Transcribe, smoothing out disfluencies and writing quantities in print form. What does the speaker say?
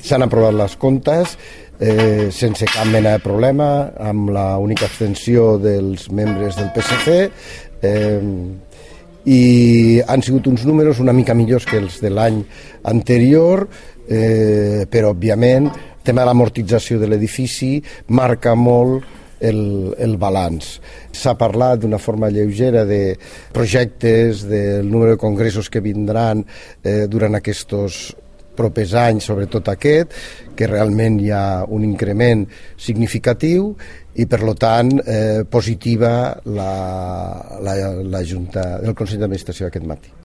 S'han aprovat les comptes sense cap mena de problema, amb la única abstenció dels membres del PSC, i han sigut uns números una mica millors que els de l'any anterior, però òbviament el tema de l'amortització de l'edifici marca molt el balanç. S'ha parlat d'una forma lleugera de projectes, del número de congressos que vindran durant aquests propers anys, sobretot aquest, que realment hi ha un increment significatiu i, per tant, positiva la Junta del Consell d'Administració aquest matí.